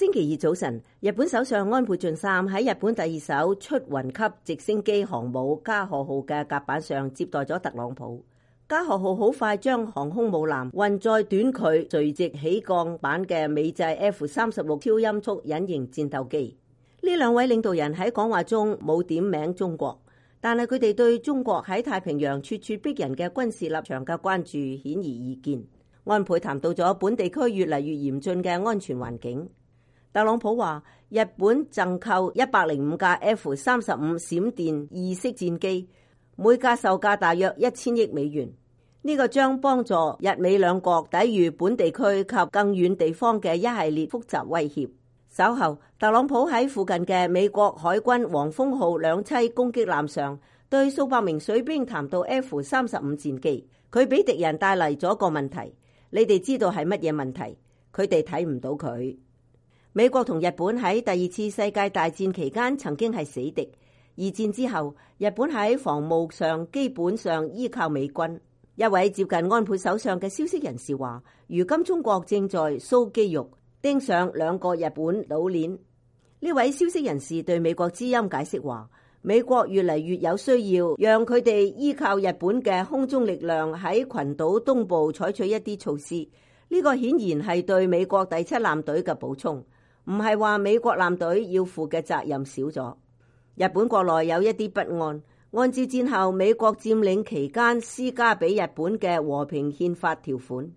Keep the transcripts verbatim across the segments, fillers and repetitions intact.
星期二早晨，日本首相安倍晉三喺日本第二艘出雲級直升機航母加賀號嘅甲板上接待咗特朗普。加賀號好快將航空母艦運載短距垂直起降版嘅美製 F 三十六超音速隱形戰鬥機。呢兩位領導人喺講話中冇點名中國，但係佢哋對中國喺太平洋咄咄逼人嘅軍事立場嘅關注顯而易見。安倍談到咗本地區越嚟越嚴峻嘅安全環境。特朗普話日本贈購一百零五架 F 三十五閃電二式戰機，每架售價大約一千億美元。呢、這個將幫助日美兩國抵禦本地區及更遠地方嘅一系列複雜威脅。稍後，特朗普喺附近嘅美國海軍黃蜂號兩棲攻擊艦上，對數百名水兵談到 F 三十五戰機，佢俾敵人帶嚟咗個問題，你哋知道係乜嘢問題？佢哋睇唔到佢。美國同日本喺第二次世界大戰期間曾經係死敵，二戰之後，日本喺防務上基本上依靠美軍。一位接近安倍首相嘅消息人士話，如今中國正在搔肌肉，盯上兩個日本老鏈。呢位消息人士對美國之音解釋話，美國越嚟越有需要讓佢哋依靠日本嘅空中力量喺群島東部採取一啲措施。呢、這個顯然係對美國第七艦隊嘅補充。唔係話美國艦隊要負嘅責任少咗，日本國內有一啲不安。按照戰後美國佔領期間施加俾日本嘅和平憲法條款，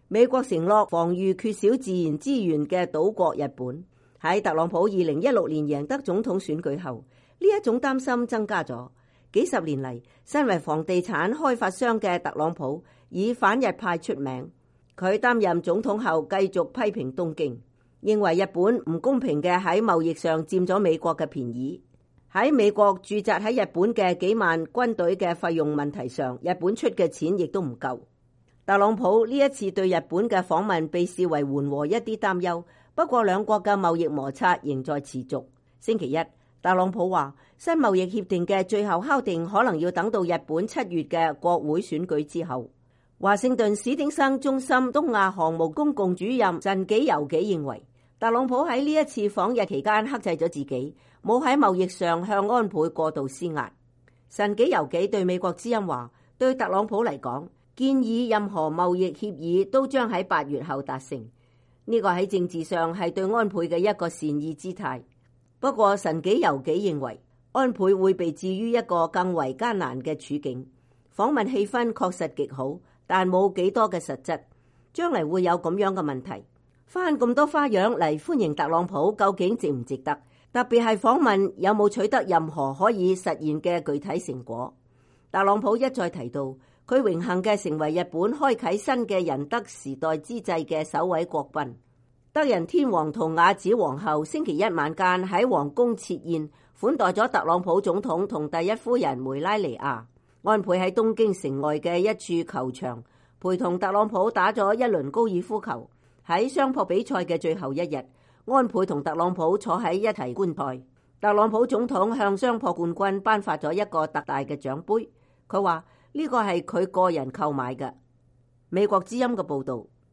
美國承諾防禦缺少自然資源嘅島國日本。喺特朗普二零一六年贏得總統選舉後，呢一種擔心增加咗。幾十年嚟，身為房地產開發商嘅特朗普以反日派出名。佢擔任總統後繼續批評東京，認為日本唔公平嘅喺貿易上佔咗美國嘅便宜。喺美國駐紮喺日本嘅幾萬軍隊嘅費用問題上，日本出嘅錢亦都唔夠。特朗普呢一次對日本嘅訪問被視為緩和一啲擔憂，不過兩國嘅貿易摩擦仍在持續。星期一，特朗普話新貿易協定嘅最後敲定可能要等到日本七月嘅國會選舉之後。華盛頓史汀生中心東亞項目公共主任神紀由紀認為，特朗普喺呢一次訪日期間克制咗自己，冇喺貿易上向安倍過度施壓。神紀由紀對美國之音話，對特朗普嚟講，建議任何貿易協議都將喺八月後達成。呢、這個喺政治上係對安倍嘅一個善意姿態。不過神紀由紀認為，安倍會被置於一個更為艱難嘅處境。訪問氣氛確實極好，但冇幾多嘅實質。將嚟會有咁樣嘅問題。翻咁多花樣嚟歡迎特朗普，究竟值唔值得？特別係訪問有冇取得任何可以實現嘅具體成果？特朗普一再提到，佢榮幸嘅成為日本開啟新嘅仁德時代之際嘅首位國賓。德仁天皇同雅子皇后星期一晚間喺皇宮設宴，款待咗特朗普總統同第一夫人梅拉尼亞。安倍喺東京城外嘅一處球場，陪同特朗普打咗一輪高爾夫球。喺相撲比賽嘅最後一日，安倍同特朗普坐喺一齊觀賽。特朗普總統向相撲冠軍頒發咗一個特大嘅獎杯，佢話呢個係佢個人購買嘅。美國之音嘅報道。